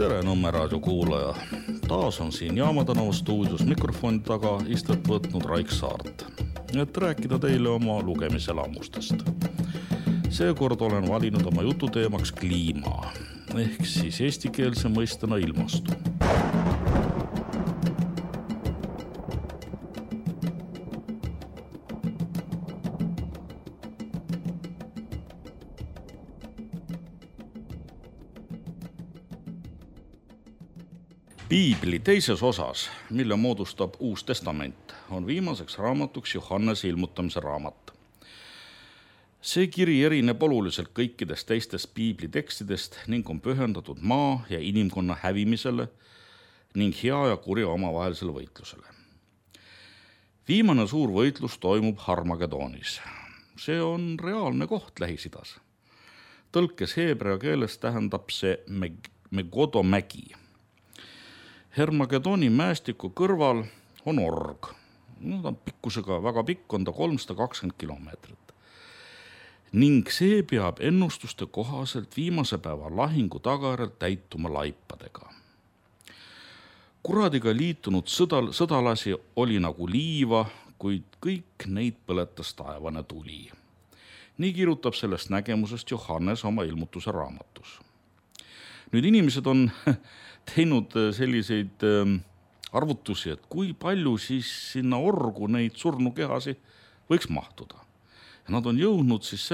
Tere Nõmme raadio kuulaja. Taas on siin Jaama tänava stuudios mikrofoni taga istet võtnud Raik Saart, et rääkida teile oma lugemiselamustest. Seekord olen valinud oma jututeemaks kliima, ehk siis eestikeelse mõistena ilmastu. Piibli teises osas, mille moodustab Uus Testament, on viimaseks raamatuks Johannese ilmutamise raamat. See kiri erineb oluliselt kõikidest teistest piibli tekstidest ning on pühendatud maa ja inimkonna hävimisele ning hea ja kurja omavahelisele võitlusele. Viimane suur võitlus toimub Harmagedonis. See on reaalne koht Lähis-Idas. Tõlkes heebrea keeles tähendab see Megodo mägi. Harmagedoni mäestiku kõrval on org. Ta on pikkusega väga pikk, on ta 320 kilomeetrit. Ning see peab ennustuste kohaselt viimase päeva lahingu tagajärjel täituma laipadega. Kuradiga liitunud sõdalasi oli nagu liiva, kuid kõik neid põletas taevane tuli. Nii kirjutab sellest nägemusest Johannes oma ilmutuse raamatus. Nüüd inimesed on teinud selliseid arvutusi, et kui palju siis sinna orgu neid surnukehasi võiks mahtuda. Ja nad on jõudnud siis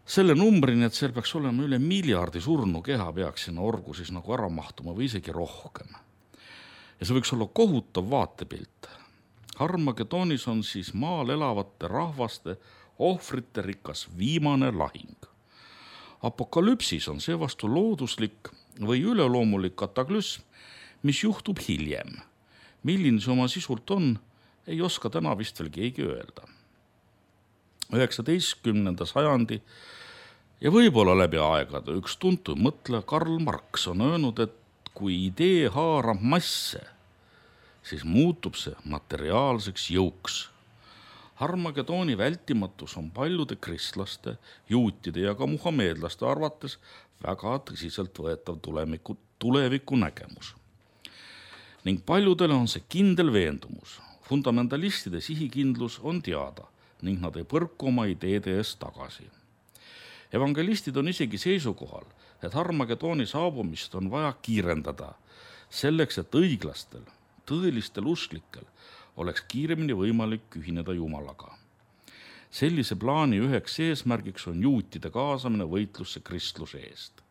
selle numbrini, et seal peaks olema üle miljardi surnukeha peaks sinna orgu siis nagu ära mahtuma või isegi rohkem. Ja see võiks olla kohutav vaatepilt. Harmagedonis on siis maal elavate rahvaste ohvrite rikas viimane lahing. Apokalüpsis on seevastu looduslik või üleloomulik kataklüsm, mis juhtub hiljem. Milline see oma sisult on, ei oska täna vist veel keegi öelda. 19. sajandi ja võib-olla läbi aegade üks tuntud mõtleja Karl Marx on öelnud, et kui idee haarab masse, siis muutub see materiaalseks jõuks. Harmagedoni vältimatus on paljude kristlaste, juutide ja ka muhameedlaste arvates väga tõsiselt võetav tuleviku nägemus. Ning paljudele on see kindel veendumus. Fundamentalistide sihikindlus on teada ning nad ei põrku oma ideede eest tagasi. Evangelistid on isegi seisukohal, et Harmagedoni saabumist on vaja kiirendada selleks, et õiglastel, tõelistel usklikel oleks kiiremini võimalik ühineda Jumalaga. Sellise plaani üheks eesmärgiks on juutide kaasamine võitlusse kristluse eest.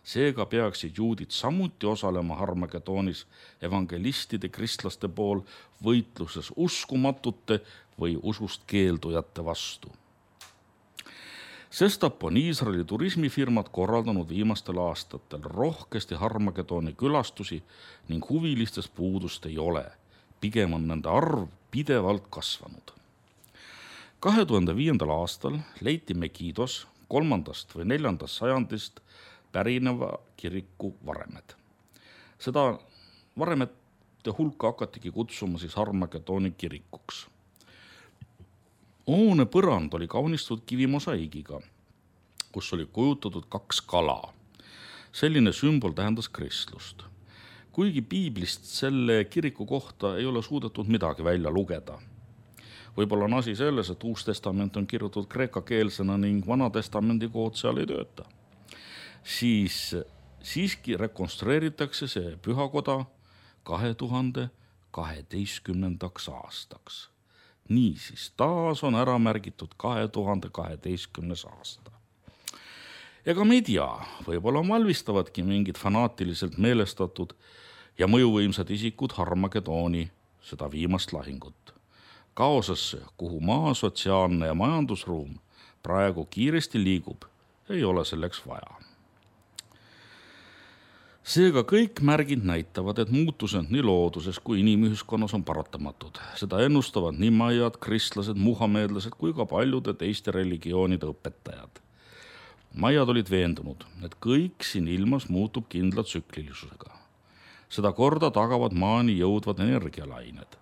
Seega peaksid juudid samuti osalema Harmagedonis evangelistide kristlaste pool võitluses uskumatute või usust keeldujate vastu. Sestap on Iisraeli turismifirmad korraldanud viimastel aastatel rohkesti Harmagedoni külastusi ning huvilistest puudust ei ole. Pigem on nende arv pidevalt kasvanud. 2005. aastal leiti Megidos 3. või 4. sajandist pärineva kiriku varemed. Seda varemete hulka hakatigi kutsuma siis Harmagedoni kirikuks. Hoone põrand oli kaunistatud kivimosaigiga, kus oli kujutatud 2 kala. Selline sümbol tähendas kristlust. Kuigi piiblist selle kiriku kohta ei ole suudetud midagi välja lugeda. Võib-olla on asi selles, et Uus Testament on kirjutatud kreekakeelsena ning Vana Testamendi kood seal ei tööta. Siis siiski rekonstrueeritakse see pühakoda 2012. aastaks. Niisiis, taas on ära märgitud 2012. aasta. Ega me ei tea, võib-olla valmistavadki mingid fanaatiliselt meelestatud ja mõjuvõimsad isikud Harmagedoni, seda viimast lahingut. Kaosesse, kuhu maa, sotsiaalne ja majandusruum praegu kiiresti liigub, ei ole selleks vaja. Seega kõik märgid näitavad, et muutused nii looduses kui inimühiskonnas on paratamatud. Seda ennustavad nii maiad, kristlased, muhameedlased kui ka paljude teiste religioonide õpetajad. Maiad olid veendunud, et kõik siin ilmas muutub kindla tsüklilisusega. Seda korda tagavad maani jõudvad energialained.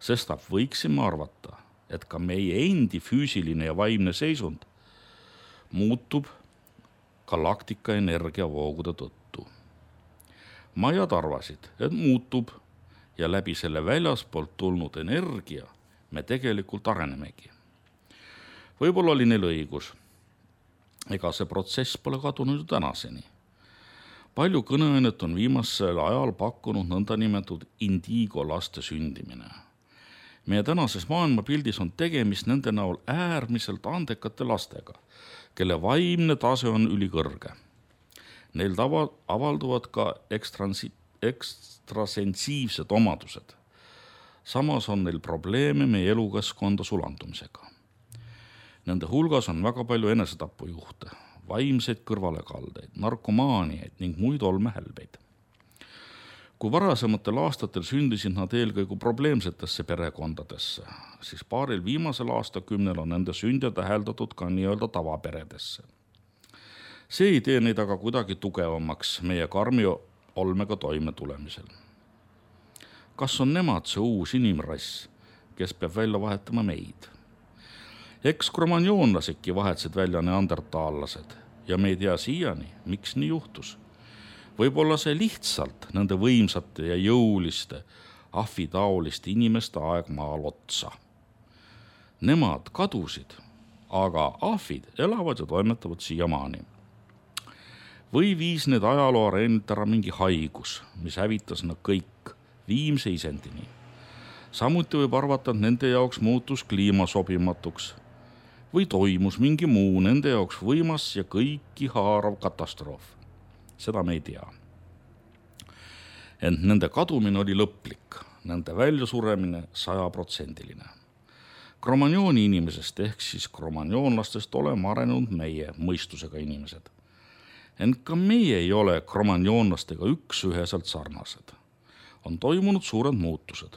Sestap võiksime arvata, et ka meie endi füüsiline ja vaimne seisund muutub galaktika energiavoogude tõttu. Maiad arvasid, et muutub ja läbi selle väljaspoolt tulnud energia me tegelikult arenemegi. Võib-olla oli neil õigus. Ega see protsess pole kadunud ju tänaseni. Palju kõneainet on viimasel ajal pakkunud nõndanimetatud indigo laste sündimine. Meie tänases maailmapildis on tegemist nende näol äärmiselt andekate lastega, kelle vaimne tase on ülikõrge. Neil avalduvad ka ekstrasensiivsed omadused. Samas on neil probleeme meie elukeskkonda sulandumisega. Nende hulgas on väga palju enesetapujuhte, vaimseid kõrvalekaldeid, narkomaaniaid ning muid olmehälbeid. Kui varasematel aastatel sündisid nad eelkõige probleemsetesse perekondadesse, siis paaril viimasel aastakümnel on nende sünde täheldatud ka nii-öelda tavaperedesse. See ei tee neid aga kuidagi tugevamaks meie karmi olmega toime tulemisel. Kas on nemad see uus inimrass, kes peab välja vahetama meid? Eks kromanjoonlasedki vahetsid välja neandertaallased ja me ei tea siiani, miks nii juhtus. Võib-olla see lihtsalt nende võimsate ja jõuliste, ahvitaoliste inimeste aeg maal otsa. Nemad kadusid, aga ahvid elavad ja toimetavad siiamaani. Või viis need ajaloo areenilt ära mingi haigus, mis hävitas nad kõik viimse isendini. Samuti võib arvata, et nende jaoks muutus kliima sobimatuks või toimus mingi muu nende jaoks võimas ja kõiki haarav katastroof. Seda me ei tea. Ent nende kadumine oli lõplik, nende väljasuremine 100%. Kromanjooni inimesest ehk siis kromanjoonlastest oleme arenenud meie mõistusega inimesed. Ent ka meie ei ole kromanjoonlastega üksüheselt sarnased. On toimunud suured muutused.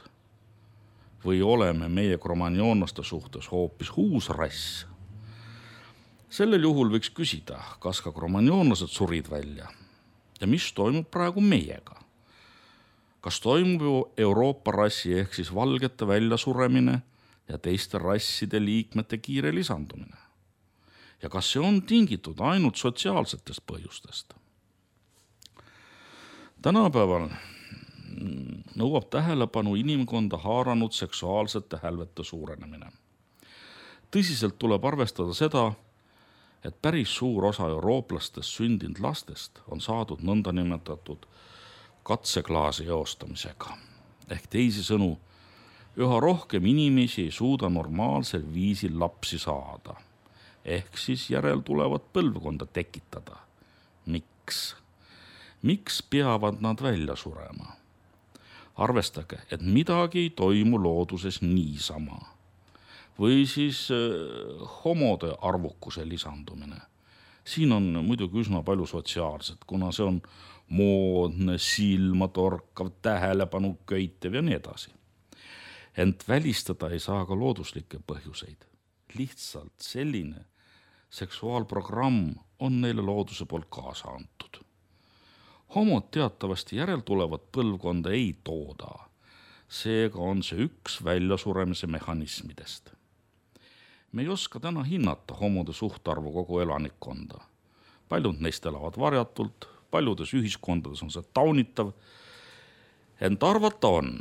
Või oleme meie kromanjoonlaste suhtes hoopis uus rass? Sellel juhul võiks küsida, kas ka kromanjoonlased surid välja ja mis toimub praegu meiega. Kas toimub ju Euroopa rassi ehk siis valgete väljasuremine ja teiste rasside liikmete kiire lisandumine? Ja kas see on tingitud ainult sotsiaalsetest põhjustest? Tänapäeval nõuab tähelepanu inimkonda haaranud seksuaalsete hälvete suurenemine. Tõsiselt tuleb arvestada seda, et päris suur osa eurooplastest sündinud lastest on saadud nõndanimetatud katseklaasi eostamisega. Ehk teisisõnu, üha rohkem inimesi ei suuda normaalsel viisil lapsi saada. Ehk siis järeltulevat põlvkonda tekitada. Miks? Miks peavad nad välja surema? Arvestage, et midagi ei toimu looduses niisama. Või siis homode arvukuse lisandumine. Siin on muidugi üsna palju sotsiaalset, kuna see on moodne, silmatorkav, tähelepanu köitev ja nii edasi. Ent välistada ei saa ka looduslikke põhjuseid. Lihtsalt selline seksuaalprogramm on neile looduse poolt kaasa antud. Homod teatavasti järeltulevat põlvkonda ei tooda. Seega on see üks väljasuremise mehhanismidest. Me ei oska täna hinnata homode suhtarvu kogu elanikkonda. Paljud neist elavad varjatult, paljudes ühiskondades on see taunitav. Ent arvata on,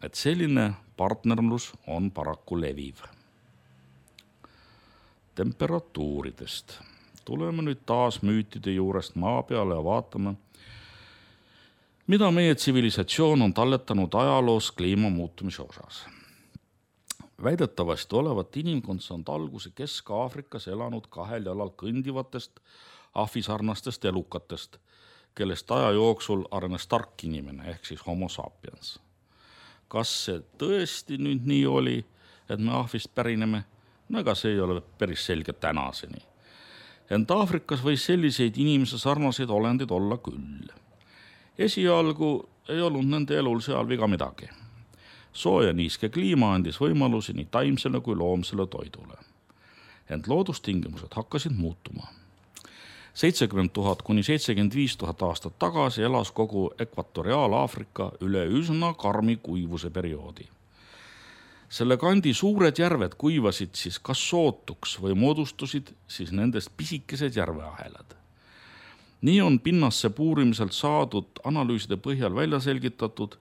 et selline partnerlus on paraku leviv. Temperatuuridest. Tuleme nüüd taas müütide juurest maa peale ja vaatame, mida meie tsivilisatsioon on talletanud ajaloos kliima muutumise osas. Väidetavasti olevat inimkond saanud alguse Kesk-Aafrikas elanud kahel jalal kõndivatest ahvisarnastest elukatest, kellest aja jooksul arenes tark inimene ehk siis homo sapiens. Kas see tõesti nüüd nii oli, et me ahvist pärineme? No ega see ei ole päris selge tänaseni. Ent Aafrikas võis selliseid inimese sarnaseid olendeid olla küll. Esialgu ei olnud nende elul seal viga midagi. Sooja niiske kliima andis võimalusi nii taimsele kui loomsele toidule. Ent loodustingimused hakkasid muutuma. 70 000 kuni 75 000 aastat tagasi elas kogu Ekvatoriaal-Aafrika üle üsna karmi kuivuse perioodi. Selle kandi suured järved kuivasid siis kas sootuks või moodustusid siis nendest pisikesed järveahelad. Nii on pinnasse puurimiselt saadud analüüside põhjal välja selgitatud,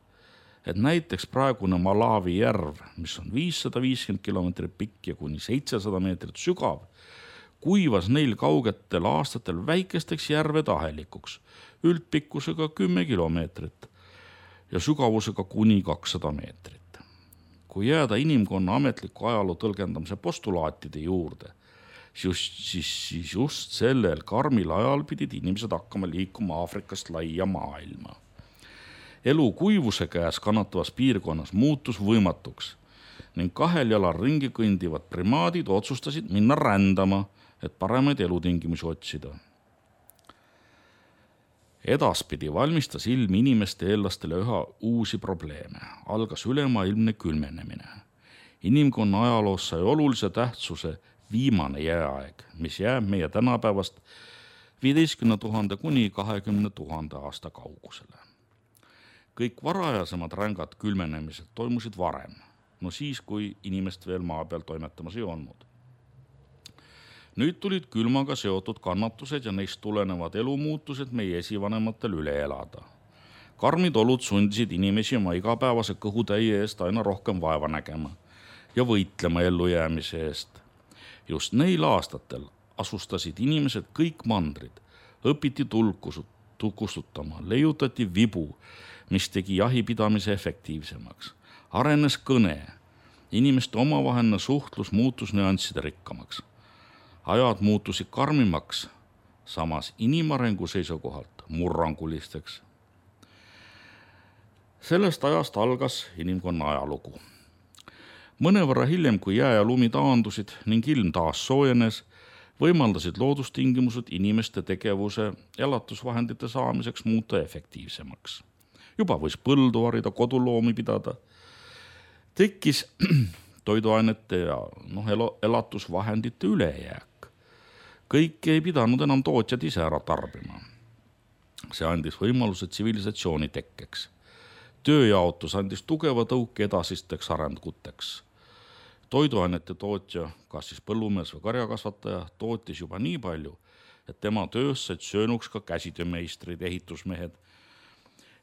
et näiteks praegune Malawi järv, mis on 550 kilomeetrit pikk ja kuni 700 meetrit sügav, kuivas neil kaugetel aastatel väikesteks järvede ahelikuks, üldpikkusega 10 kilomeetrit ja sügavusega kuni 200 meetrit. Kui jääda inimkonna ametliku ajaloo tõlgendamise postulaatide juurde, siis just sellel karmil ajal pidid inimesed hakkama liikuma Aafrikast laia maailma. Elu kuivuse käes kannatavas piirkonnas muutus võimatuks ning 2 jalal ringi kõndivad primaadid otsustasid minna rändama, et paremaid elutingimusi otsida. Edaspidi valmistas ilm inimeste eellastele üha uusi probleeme. Algas ülemaailmne külmenemine. Inimkonna ajaloos sai olulise tähtsuse viimane jääaeg, mis jääb meie tänapäevast 15 000 kuni 20 000 aasta kaugusele. Kõik varajasemad rängad külmenemised toimusid varem, siis kui inimest veel maa peal toimetamas ei olnud. Nüüd tulid külmaga seotud kannatused ja neist tulenevad elumuutused meie esivanematel üle elada. Karmid olud sundisid inimesi oma igapäevase kõhutäie eest aina rohkem vaeva nägema ja võitlema ellujäämise eest. Just neil aastatel asustasid inimesed kõik mandrid, õpiti tulku kustutama, leiutati vibu, mis tegi jahipidamise efektiivsemaks. Arenes kõne, inimeste omavaheline suhtlus muutus nüansside rikkamaks. Ajad muutusid karmimaks, samas inimarengu seisukohalt murrangulisteks. Sellest ajast algas inimkonna ajalugu. Mõnevõrra hiljem, kui jää ja lumi taandusid ning ilm taas soojenes, võimaldasid loodustingimused inimeste tegevuse elatusvahendite saamiseks muuta efektiivsemaks. Juba võis põldu harida, koduloomi pidada. Tekkis toiduainete ja elatusvahendite ülejääk. Kõike ei pidanud enam tootjad ise ära tarbima. See andis võimaluse tsivilisatsiooni tekkeks. Tööjaotus andis tugeva tõuke edasisteks arenguteks. Toiduainete tootja, kas siis põllumees või karjakasvataja, tootis juba nii palju, et tema töös said söönuks ka käsitöömeistrid, ehitusmehed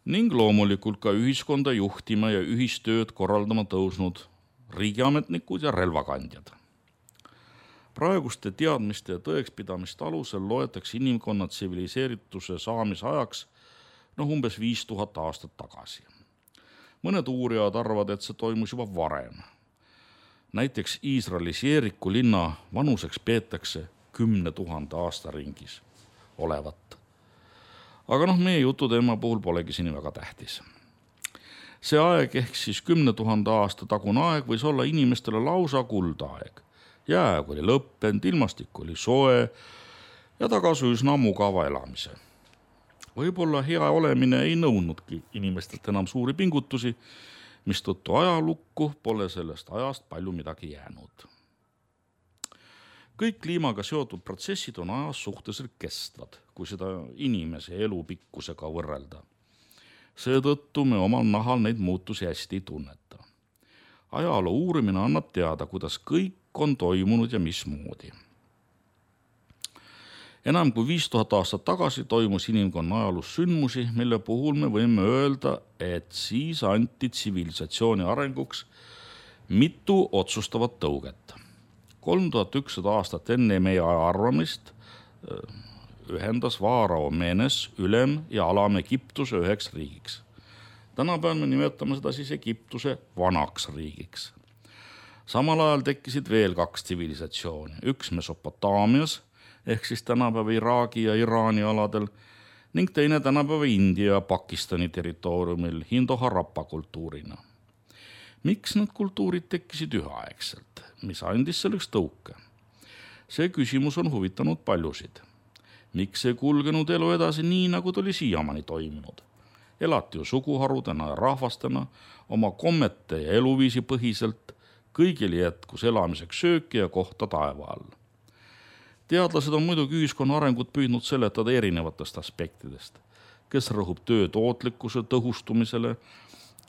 ning loomulikult ka ühiskonda juhtima ja ühistööd korraldama tõusnud riigiametnikud ja relvakandjad. Praeguste teadmiste ja tõekspidamiste alusel loetakse inimkonna tsiviliseerituse saamise ajaks umbes 5000 aastat tagasi. Mõned uurijad arvavad, et see toimus juba varem. Näiteks Iisraelis Jeeriku linna vanuseks peetakse 10 000 aasta ringis olevat. Aga meie jututeema puhul polegi siin väga tähtis. See aeg ehk siis 10 000 aasta tagune aeg võis olla inimestele lausa kuldaeg. Jääg oli lõppenud, ilmastik oli soe ja tagas üsna mugava elamise. Võib-olla hea olemine ei nõudnudki inimestelt enam suuri pingutusi, mistõttu ajalukku pole sellest ajast palju midagi jäänud. Kõik kliimaga seotud protsessid on ajas suhteliselt kestvad, kui seda inimese elupikkusega võrrelda. Seetõttu me omal nahal neid muutusi hästi ei tunneta. Ajaloo uurimine annab teada, kuidas kõik on toimunud ja mismoodi. Enam kui 5000 aastat tagasi toimus inimkonna ajaloos sündmusi, mille puhul me võime öelda, et siis anti tsivilisatsiooni arenguks mitu otsustavat tõuget. 3100 aastat enne meie aja arvamist ühendas Vaarao Menes ülem- ja alam-Egiptuse üheks riigiks. Tänapäeval me nimetame seda siis Egiptuse vanaks riigiks. Samal ajal tekkisid veel 2 tsivilisatsiooni, üks Mesopotaamias ehk siis tänapäeva Iraagi ja Iraani aladel ning teine tänapäeva India ja Pakistani territooriumil Hindo-Harappa kultuurina. Miks need kultuurid tekkisid üheaegselt? Mis andis selleks tõuke? See küsimus on huvitanud paljusid. Miks ei kulgenud elu edasi nii, nagu ta oli siiamaani toiminud? Elati ju suguharudena ja rahvastena, oma kommete ja eluviisi põhiselt, kõigil jätkus elamiseks sööki ja kohta taeva all. Teadlased on muidugi ühiskonna arengut püüdnud seletada erinevatest aspektidest, kes rõhub töö tootlikkuse tõhustumisele,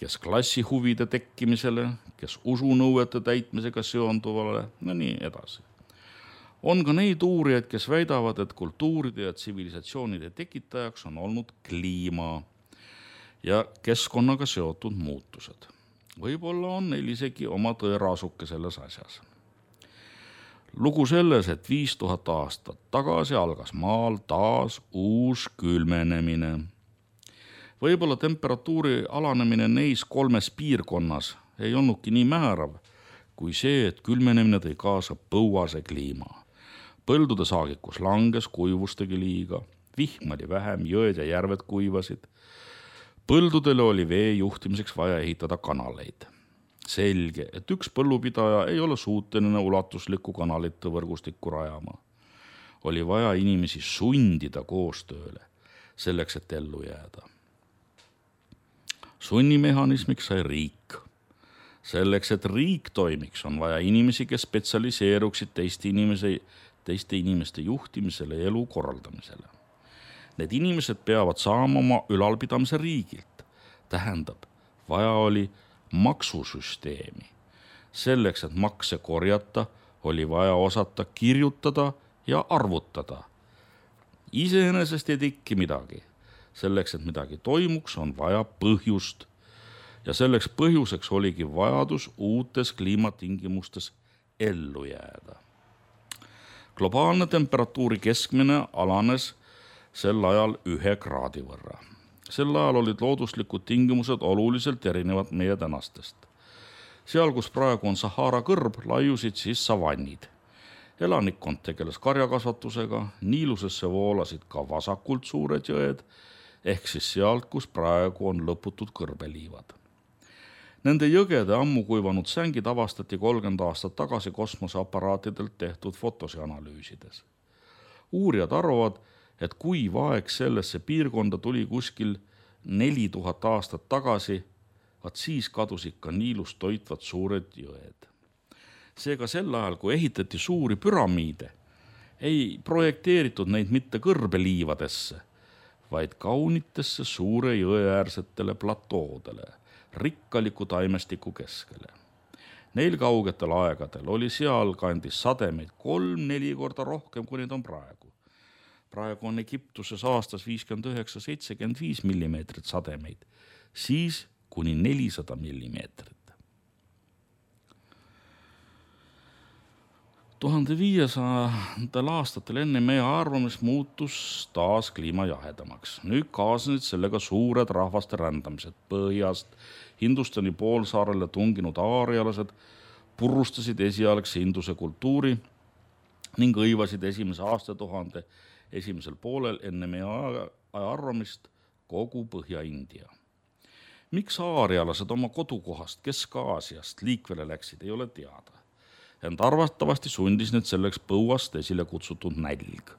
kes klassihuvide tekkimisele, kes usunõuete täitmisega seonduvale ja nii edasi. On ka neid uurijaid, kes väidavad, et kultuuride ja tsivilisatsioonide tekitajaks on olnud kliima ja keskkonnaga seotud muutused. Võib-olla on neil isegi oma tõeraasuke selles asjas. Lugu selles, et 5000 aastat tagasi algas maal taas uus külmenemine. Võib-olla temperatuuri alanemine neis 3 piirkonnas ei olnudki nii määrav, kui see, et külmenemine tõi kaasa põuase kliima. Põldude saagikus langes, kuivus tegi liiga, vihm oli vähem, jõed ja järved kuivasid. Põldudele oli vee juhtimiseks vaja ehitada kanaleid. Selge, et üks põllupidaja ei ole suuteline ulatuslikku kanalite võrgustikku rajama. Oli vaja inimesi sundida koostööle, selleks et ellu jääda. Sunnimehhanismiks sai riik. Selleks, et riik toimiks, on vaja inimesi, kes spetsialiseeruksid teiste inimeste juhtimisele ja elu korraldamisele. Need inimesed peavad saama oma ülalpidamise riigilt. Tähendab, vaja oli maksusüsteemi. Selleks, et makse korjata, oli vaja osata kirjutada ja arvutada. Iseenesest ei teki midagi. Selleks, et midagi toimuks, on vaja põhjust. Ja selleks põhjuseks oligi vajadus uutes kliimatingimustes ellu jääda. Globaalne temperatuuri keskmine alanes sel ajal 1 kraadi võrra. Sel ajal olid looduslikud tingimused oluliselt erinevad meie tänastest. Seal, kus praegu on Sahara kõrb, laiusid siis savannid. Elanikkond tegeles karjakasvatusega, Niilusesse voolasid ka vasakult suured jõed, ehk siis sealt, kus praegu on lõputud kõrbeliivad. Nende jõgede ammu kuivanud sängid avastati 30 aastat tagasi kosmoseaparaatidelt tehtud fotosi analüüsides. Uurijad arvavad, et kuiv aeg sellesse piirkonda tuli kuskil 4000 aastat tagasi, vaat siis kadusid ka Niilust toitvad suured jõed. Seega sel ajal, kui ehitati suuri püramiide, ei projekteeritud neid mitte kõrbeliivadesse, vaid kaunitesse suure jõeäärsetele platoodele, rikkaliku taimestiku keskele. Neil kaugetel aegadel oli seal kandis sademeid 3-4 korda rohkem, kui neid on praegu. Praegu on Egiptuses aastas 59-75 millimeetrit sademeid, siis kuni 400 millimeetrit. 1500 aastatel enne meie arvamist muutus taas kliima jahedamaks. Nüüd kaasnesid sellega suured rahvaste rändamised põhjast. Hindustani poolsaarele tunginud aarialased purustasid esialgse Induse kultuuri ning õivasid esimese aastatuhande esimesel poolel enne meie aja arvamist kogu Põhja-India. Miks aarialased oma kodukohast Kesk-Aasiast liikvele läksid, ei ole teada. Ent arvatavasti sundis need selleks põuast esile kutsutud nälg.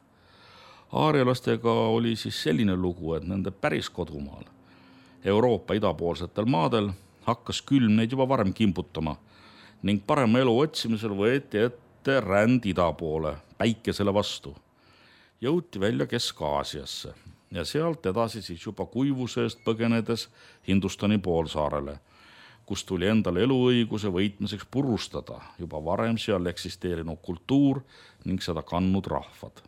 Aarialastega oli siis selline lugu, et nende päris kodumaal, Euroopa idapoolsetel maadel, hakkas külm neid juba varem kimbutama ning parema elu otsimisel võeti ette ränd ida poole, päikesele vastu. Jõuti välja Kesk-Aasiasse ja sealt edasi siis juba kuivusest põgenedes Hindustani poolsaarele, kus tuli endale eluõiguse võitmiseks purustada juba varem seal eksisteerinud kultuur ning seda kandnud rahvad.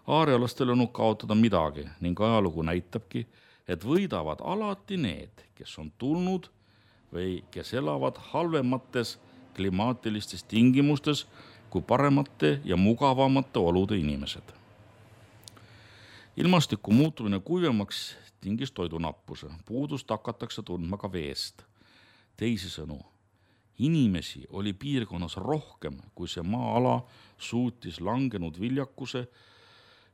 Aarialastel on kaotada midagi ning ajalugu näitabki, et võidavad alati need, kes on tulnud või kes elavad halvemates klimaatilistes tingimustes kui paremate ja mugavamate olude inimesed. Ilmastiku muutumine kuivemaks tingis toidunappuse, puudust hakatakse tundma ka veest. Teisisõnu, inimesi oli piirkonnas rohkem, kui see maa-ala suutis langenud viljakuse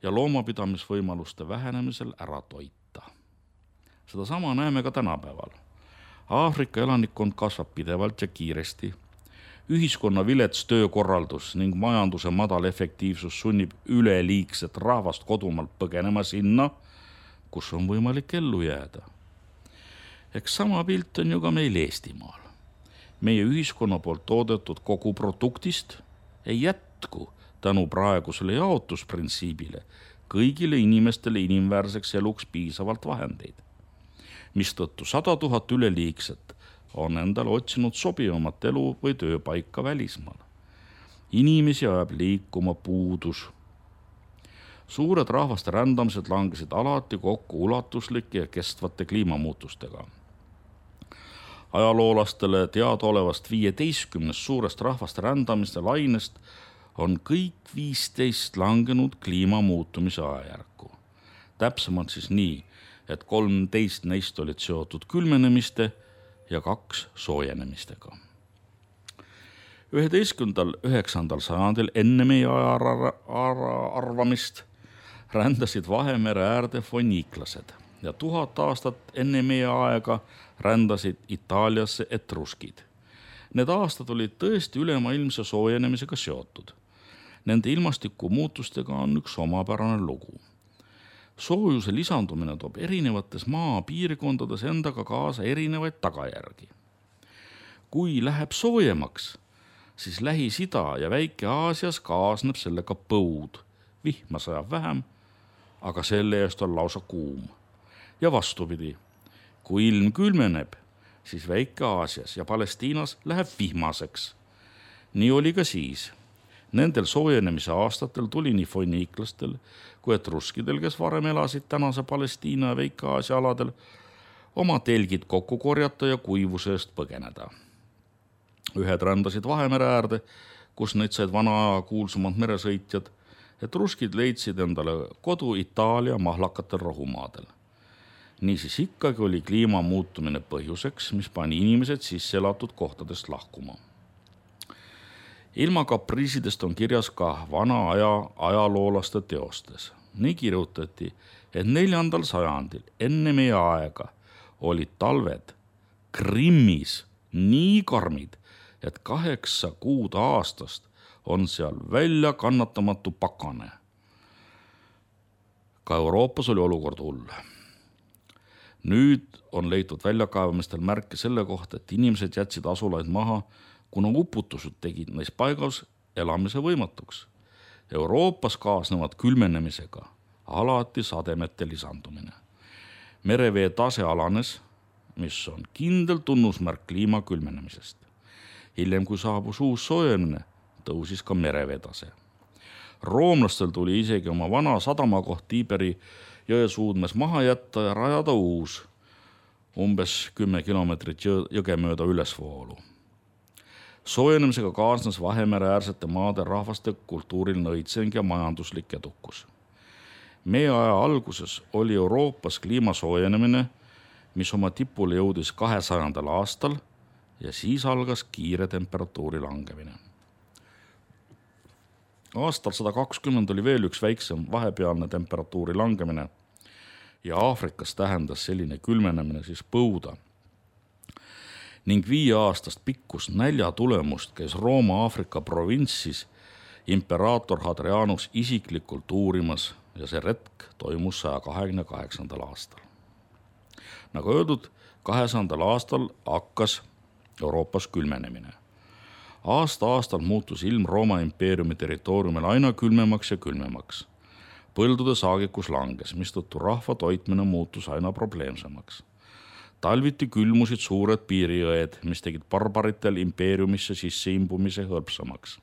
ja loomapidamisvõimaluste vähenemisel ära toita. Seda sama näeme ka tänapäeval. Aafrika elanikkond kasvab pidevalt ja kiiresti. Ühiskonna vilets töökorraldus ning majanduse madal efektiivsus sunnib üleliigset rahvast kodumaalt põgenema sinna, kus on võimalik ellu jääda. Eks sama pilt on ju ka meil Eestimaal. Meie ühiskonna poolt toodetud kogu produktist ei jätku tänu praegusele jaotusprintsiibile kõigile inimestele inimväärseks eluks piisavalt vahendeid, mistõttu 100 000 üleliigset on endale otsinud sobivamat elu või tööpaika välismaal. Inimesi ajab liikuma puudus. Suured rahvaste rändamised langesid alati kokku ulatuslike ja kestvate kliimamuutustega. Ajaloolastele teadaolevast 15 suurest rahvaste rändamiste lainest on kõik 15 langenud kliimamuutumise ajajärku. Täpsemalt siis nii, et 13 neist olid seotud külmenemiste ja 2 soojenemistega. 11.–9. sajandil enne meie arvamist rändasid Vahemere äärde foniiklased ja 1000 aastat enne meie aega rändasid Itaaliasse etruskid. Need aastad olid tõesti ülemaailmse soojenemisega seotud. Nende ilmastikumuutustega on üks omapärane lugu. Soojuse lisandumine toob erinevates maapiirkondades endaga kaasa erinevaid tagajärgi. Kui läheb soojemaks, siis Lähis-Ida ja Väike-Aasias kaasneb sellega põud. Vihma sajab vähem, aga selle eest on lausa kuum. Ja vastupidi, kui ilm külmeneb, siis Väike-Aasias ja Palestiinas läheb vihmaseks. Nii oli ka siis. Nendel soojenemise aastatel tuli nii foniiklastel kui etruskidel, kes varem elasid tänase Palestiina ja Väike-Aasia aladel, oma telgid kokku korjata ja kuivuse eest põgeneda. Ühed rändasid Vahemere äärde, kus neid said vana kuulsumad meresõitjad, etruskid leidsid endale kodu Itaalia mahlakatel rohumaadel. Niisiis ikkagi oli kliima muutumine põhjuseks, mis pani inimesed sisse elatud kohtadest lahkuma. Ilma kapriisidest on kirjas ka vana aja ajaloolaste teostes. Nii kirjutati, et 4. sajandil enne meie aega olid talved Krimmis nii karmid, et 8 kuud aastast on seal välja kannatamatu pakane. Ka Euroopas oli olukord hull. Nüüd on leitud väljakaevamistel märke selle kohta, et inimesed jätsid asulaid maha, kuna uputused tegid neis paigas elamise võimatuks. Euroopas kaasnevad külmenemisega alati sademete lisandumine. Merevee tase alanes, mis on kindel tunnusmärk kliima külmenemisest. Hiljem, kui saabus uus soojenemine, tõusis ka merevee tase. Roomlastel tuli isegi oma vana sadamakoht Tiiberi jõe suudmes maha jätta ja rajada uus, umbes 10 kilomeetrit jõge mööda ülesvoolu. Soojenemisega kaasnes Vahemere äärsete maade rahvaste kultuuriline õitseng ja majanduslik edukus. Meie aja alguses oli Euroopas kliima soojenemine, mis oma tipule jõudis 200. aastal ja siis algas kiire temperatuuri langemine. Aastal 120 oli veel üks väiksem vahepealne temperatuuri langemine ja Aafrikas tähendas selline külmenemine siis põuda. Ning 5 aastast pikkus nälja tulemust käis Rooma-Aafrika provintsis imperaator Hadrianus isiklikult uurimas ja see retk toimus 128. aastal. Nagu öeldud, 200. aastal hakkas Euroopas külmenemine. Aasta-aastal muutus ilm Rooma impeeriumi territooriumil aina külmemaks ja külmemaks. Põldude saagikus langes, mistõttu rahva toitmine muutus aina probleemsemaks. Talviti külmusid suured piirijõed, mis tegid barbaritel impeeriumisse sisse imbumise hõlpsamaks.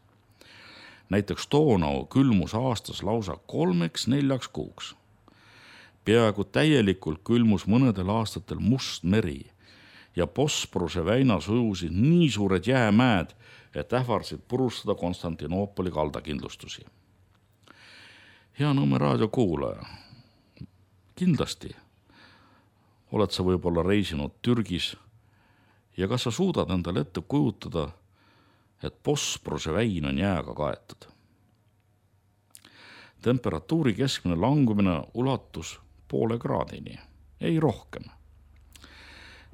Näiteks Donau külmus aastas lausa 3-4 kuuks. Peaaegu täielikult külmus mõnedel aastatel Must meri ja Bosporuse väinas ujusid nii suured jäämäed, et ähvardasid purustada Konstantinoopoli kaldakindlustusi. Hea Nõmme raadio kuulaja, kindlasti oled sa võib-olla reisinud Türgis ja kas sa suudad endale ette kujutada, et Bosporuse väin on jääga kaetud. Temperatuuri keskmine langumine ulatus 0,5 kraadini, ei rohkem.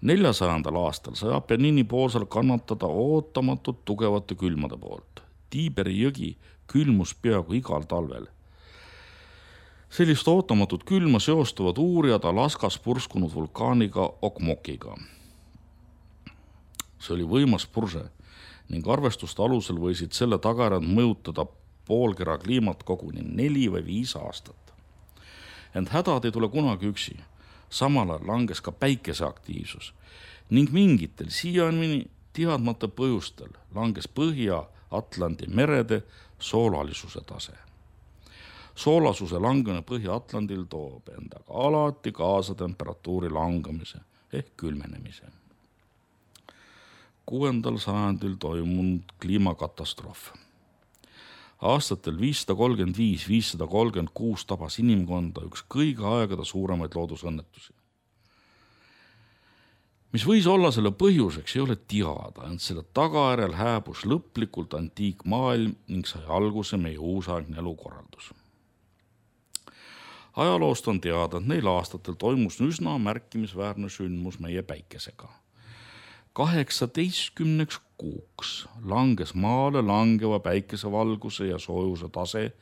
400. aastal sai Apeniini poolsel kannatada ootamatult tugevate külmade poolt. Tiiberi jõgi külmus peaaegu igal talvel. Sellist ootamatut külma seostuvad uurijad Alaskas purskunud vulkaaniga Okmokiga. See oli võimas purse ning arvestuste alusel võisid selle tagajärjed mõjutada poolkera kliimat koguni 4 või 5 aastat. Ent hädad ei tule kunagi üksi. Samal ajal langes ka päikese aktiivsus ning mingitel siiani teadmata põhjustel langes põhja Atlandi merede soolalisuse tase. Soolasuse langemine Põhja-Atlandil toob endaga alati kaasa temperatuuri langemise ehk külmenemise. 6. sajandil toimunud kliimakatastroof. Aastatel 535-536 tabas inimkonda üks kõige aegade suuremaid loodusõnnetusi. Mis võis olla selle põhjuseks, ei ole teada, ent selle tagajärjel hääbus lõplikult antiikmaailm ning sai alguse meie uusaegne elukorraldus. Ajaloost on teada, et neil aastatel toimus üsna märkimisväärne sündmus meie päikesega. 18 kuuks langes maale langeva päikesevalguse ja soojuse tase,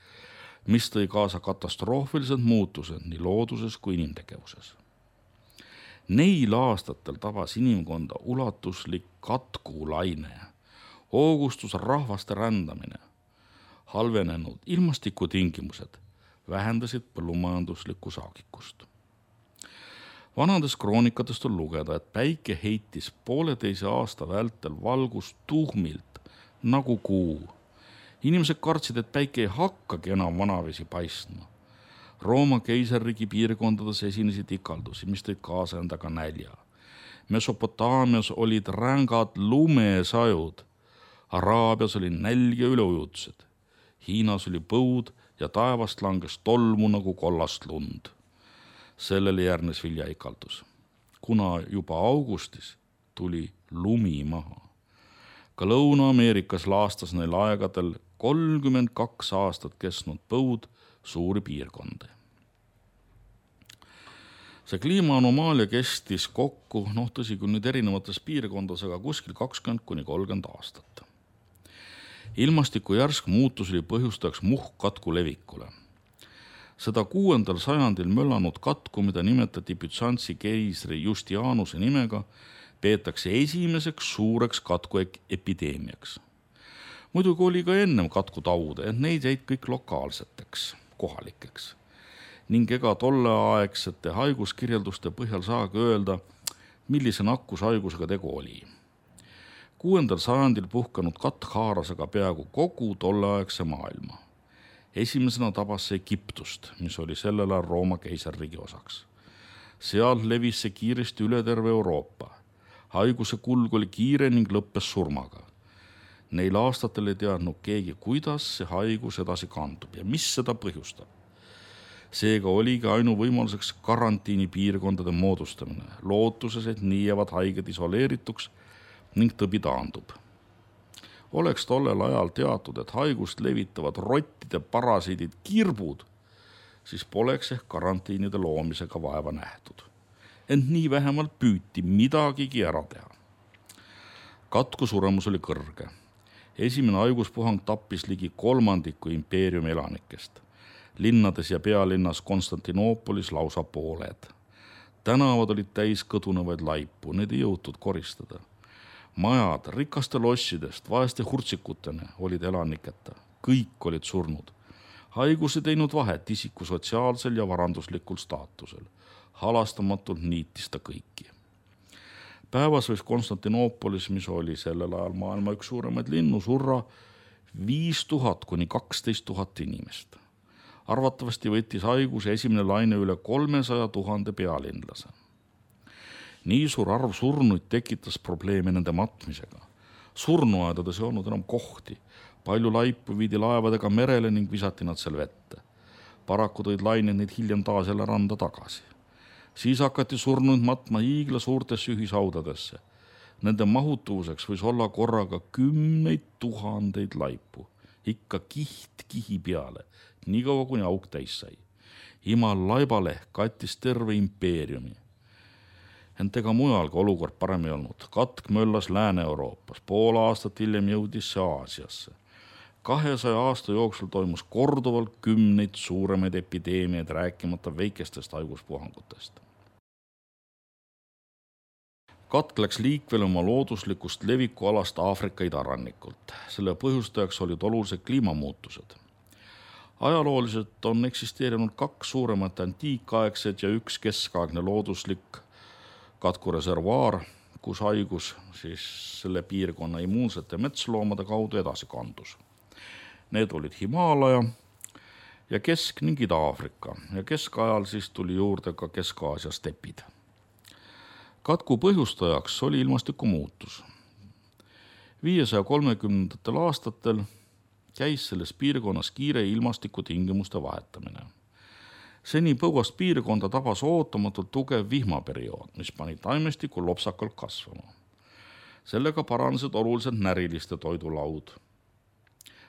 mis tõi kaasa katastroofilised muutused nii looduses kui inimtegevuses. Neil aastatel tabas inimkonda ulatuslik katkulaine, hoogustus rahvaste rändamine, halvenenud ilmastikutingimused vähendasid põllumajanduslikku saagikust. Vanadest kroonikatest on lugeda, et päike heitis 1,5 aasta vältel valgust tuhmilt nagu kuu. Inimesed kartsid, et päike ei hakkagi enam vanavesi paistma. Rooma keisarriigi piirkondades esinesid ikaldusi, mis tõid kaasa endaga nälja. Mesopotaamias olid rängad lumesajud, Araabias oli nälg ja üleujutused, Hiinas oli põud ja taevast langes tolmu nagu kollast lund. Sellele järgnes viljaikaldus, kuna juba augustis tuli lumi maha. Ka Lõuna-Ameerikas laastas neil aegadel 32 aastat kestnud põud suuri piirkondi. See kliimaanomaalia kestis kokku, tõsi küll nüüd erinevates piirkondades, aga kuskil 20–30 aastat. Ilmastiku järsk muutus oli põhjustajaks muhkkatku levikule. Seda 6. sajandil möllanud katku, mida nimetati Bütsantsi keisri Justianuse nimega, peetakse esimeseks suureks katku epideemiaks. Muidugi oli ka ennem katkutaude, ent neid jäid kõik lokaalseteks, kohalikeks. Ning ega tolleaegsete haiguskirjelduste põhjal saagi öelda, millise nakkushaigusega tegu oli. 6. sajandil puhkanud katk haaras aga peaaegu kogu tolleaegse maailma. Esimesena tabas see Egiptust, mis oli sellel ajal Rooma keisarriigi osaks. Seal levis see kiiresti üle terve Euroopa. Haiguse kulg oli kiire ning lõppes surmaga. Neil aastatel ei teadnud keegi, kuidas see haigus edasi kandub ja mis seda põhjustab. Seega oligi ainuvõimaluseks karantiinipiirkondade moodustamine, lootuses, et nii jäävad haiged isoleerituks ning tõbi taandub. Oleks tollel ajal teatud, et haigust levitavad rottide parasiidid kirbud, siis poleks ehk karantiinide loomisega vaeva nähtud. Ent nii vähemalt püüti midagigi ära teha. Katku suremus oli kõrge. Esimene haiguspuhang tappis ligi 1/3 impeeriumi elanikest. Linnades ja pealinnas Konstantinoopolis lausa pooled. Tänavad olid täis kõdunevaid laipu, need ei jõutud koristada. Majad rikaste lossidest vaeste hurtsikutena olid elaniketa. Kõik olid surnud. Haigus ei teinud vahet isiku sotsiaalsel ja varanduslikul staatusel. Halastamatult niitis ta kõiki. Päevas võis Konstantinoopolis, mis oli sellel ajal maailma üks suuremaid linnu, surra 5000–12 000 inimest. Arvatavasti võttis haiguse esimene laine üle 300 000 pealinlase. Nii suur arv surnuid tekitas probleeme nende matmisega. Surnuaedades ei olnud enam kohti. Palju laipu viidi laevadega merele ning visati nad seal vette. Paraku tõid lained neid hiljem taas jälle randa tagasi. Siis hakati surnuid matma hiigla suurtesse ühishaudadesse. Nende mahutuvuseks võis olla korraga 10 000 laipu. Ikka kiht kihi peale, nii kaua kuni auk täis sai. Imal laibaleht kattis terve impeeriumi. Ent ega mujalgi olukord parem ei olnud. Katk möllas Lääne-Euroopas, pool aastat hiljem jõudis see Aasiasse. 200 aasta jooksul toimus korduvalt 10 suuremaid epideemiaid, rääkimata väikestest haiguspuhangutest. Katk läks liikvele oma looduslikust levikualast Aafrika idarannikult. Selle põhjustajaks olid olulised kliimamuutused. Ajalooliselt on eksisteerinud 2 suuremat antiikaegset ja 1 keskaegne looduslik katkureservuaar, kus haigus siis selle piirkonna immuunsete metsloomade kaudu edasi kandus. Need olid Himaalaja ja Kesk- ning Ida-Aafrika ja keskajal siis tuli juurde ka Kesk-Aasia stepid. Katku põhjustajaks oli ilmastikumuutus. 530. aastatel käis selles piirkonnas kiire ilmastikutingimuste vahetamine. Seni põuast piirkonda tabas ootamatult tugev vihmaperiood, mis pani taimestiku lopsakalt kasvama. Sellega paranesid oluliselt näriliste toidulaud.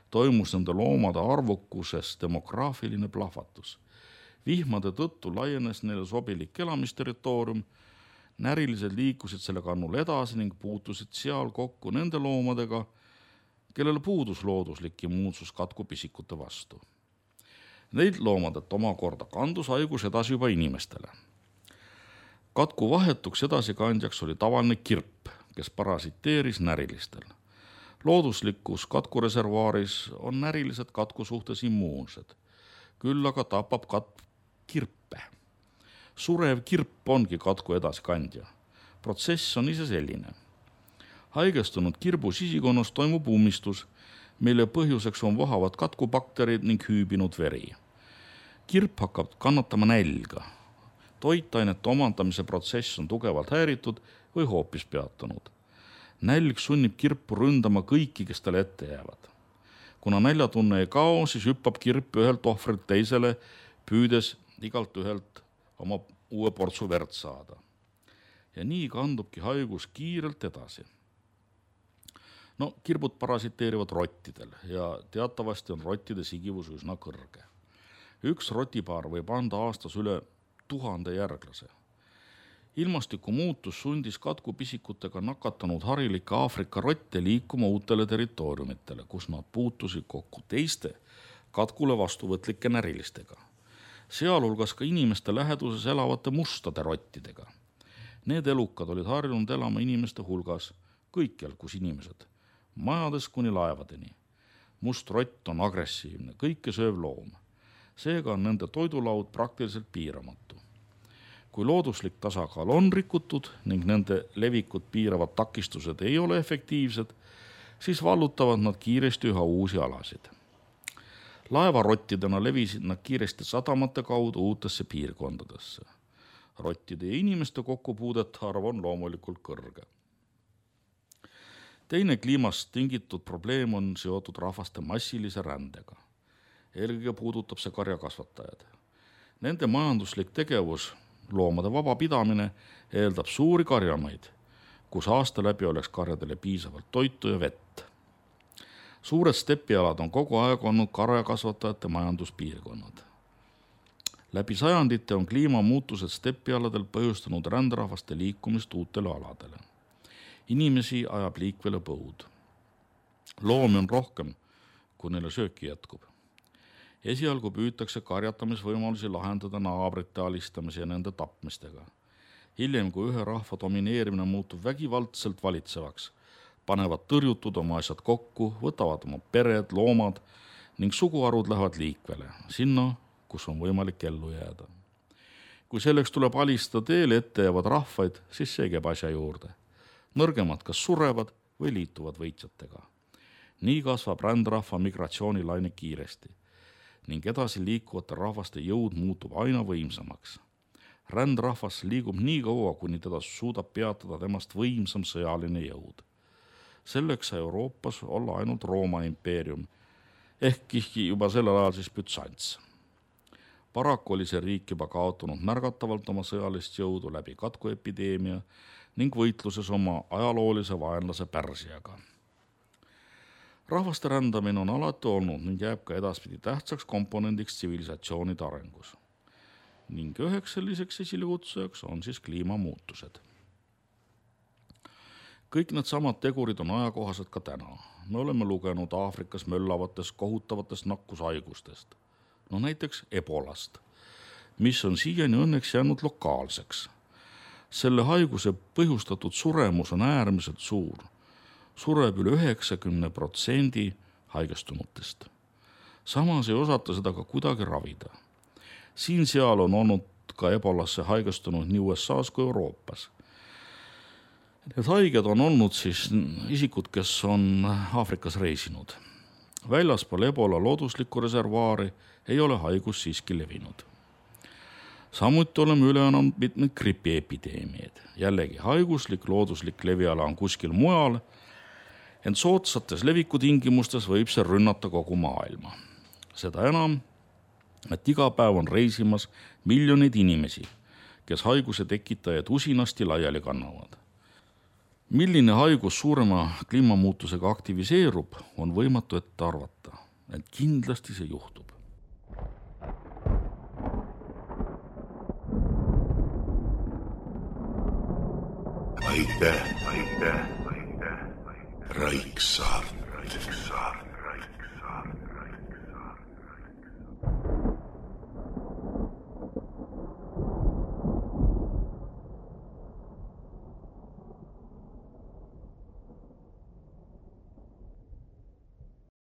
Toimus nende loomade arvukuses demograafiline plahvatus. Vihmade tõttu laienes neile sobilik elamisterritoorium, närilised liikusid selle kannul edasi ning puutusid seal kokku nende loomadega, kellel puudus looduslik immuunsus katkupisikute vastu. Neid loomadelt omakorda kandus haigus edasi juba inimestele. Katku vahetuks edasikandjaks oli tavaline kirp, kes parasiteeris närilistel. Looduslikus katkureservuaaris on närilised katku suhtes immuunsed, küll aga tapab kirpe. Surev kirp ongi katku edasikandja. Protsess on ise selline. Haigestunud kirbu sisikonnas toimub ummistus, mille põhjuseks on vohavad katkubakterid ning hüübinud veri. Kirp hakkab kannatama nälga. Toitainete omandamise protsess on tugevalt häiritud või hoopis peatunud. Nälg sunnib kirpu ründama kõiki, kes talle ette jäävad. Kuna näljatunne ei kao, siis hüppab kirp ühelt ohvrilt teisele, püüdes igalt ühelt oma uue portsu verd saada. Ja nii kandubki haigus kiirelt edasi. Kirbud parasiteerivad rottidel ja teatavasti on rottide sigivus üsna kõrge. Üks rotipaar võib anda aastas üle 1000 järglase. Ilmastikumuutus sundis katkupisikutega nakatanud harilikke Aafrika rotte liikuma uutele territooriumitele, kus nad puutusid kokku teiste katkule vastuvõtlike närilistega. Sealhulgas ka inimeste läheduses elavate mustade rottidega. Need elukad olid harjunud elama inimeste hulgas, kõikjal kus inimesed, majades kuni laevadeni. Must rott on agressiivne, kõike sööv loom. Seega on nende toidulaud praktiliselt piiramatu. Kui looduslik tasakaal on rikutud ning nende levikut piiravad takistused ei ole efektiivsed, siis vallutavad nad kiiresti üha uusi alasid. Laevarottidena levisid nad kiiresti sadamate kaudu uutesse piirkondadesse. Rottide ja inimeste kokkupuudet arv on loomulikult kõrge. Teine kliimast tingitud probleem on seotud rahvaste massilise rändega. Eelkõige puudutab see karjakasvatajad. Nende majanduslik tegevus, loomade vaba pidamine, eeldab suuri karjamaid, kus aasta läbi oleks karjadele piisavalt toitu ja vett. Suured stepialad on kogu aeg olnud karjakasvatajate majanduspiirkonnad. Läbi sajandite on kliimamuutused stepialadel põhjustanud ränderahvaste liikumist uutele aladele. Inimesi ajab liikvele põud. Loomi on rohkem, kui neile sööki jätkub. Esialgu püütakse karjatamisvõimalusi lahendada naabrite alistamise ja nende tapmistega. Hiljem, kui ühe rahva domineerimine muutub vägivaldselt valitsevaks, panevad tõrjutud oma asjad kokku, võtavad oma pered, loomad ning suguharud lähevad liikvele, sinna, kus on võimalik ellu jääda. Kui selleks tuleb alistada teele ette jäävad rahvaid, siis see käib asja juurde. Nõrgemad kas surevad või liituvad võitjatega. Nii kasvab rändrahva migratsioonilaine kiiresti ning edasi liikuvate rahvaste jõud muutub aina võimsamaks. Rändrahvas liigub nii kaua, kuni teda suudab peatada temast võimsam sõjaline jõud. Selleks sai Euroopas olla ainult Rooma impeerium, ehkki juba sellel ajal siis Bütsants. Paraku oli see riik juba kaotanud märgatavalt oma sõjalist jõudu läbi katkuepideemia ning võitluses oma ajaloolise vaenlase Pärsiaga. Rahvaste rändamine on alati olnud ning jääb ka edaspidi tähtsaks komponendiks tsivilisatsioonide arengus. Ning üheks selliseks esilekutsujaks on siis kliimamuutused. Kõik need samad tegurid on ajakohased ka täna. Me oleme lugenud Aafrikas möllavatest kohutavatest nakkushaigustest. Näiteks ebolast, mis on siiani õnneks jäänud lokaalseks. Selle haiguse põhjustatud suremus on äärmiselt suur. Sureb üle 90% haigestunutest. Samas ei osata seda ka kuidagi ravida. Siin-seal on olnud ka ebolasse haigestunud nii USA-s kui Euroopas. Need haiged on olnud siis isikud, kes on Aafrikas reisinud. Väljaspool Ebola looduslikku reservaari ei ole haigus siiski levinud. Samuti oleme üle annanud mitmed gripiepideemiad. Jällegi haiguslik looduslik leviala on kuskil mujal, ent soodsates levikutingimustes võib see rünnata kogu maailma. Seda enam, et iga päev on reisimas miljonid inimesi, kes haiguse tekitajaid usinasti laiali kannavad. Milline haigus suurema kliimamuutusega aktiviseerub, on võimatu ette arvata, ent kindlasti see juhtub. Aitäh, Raiksaart.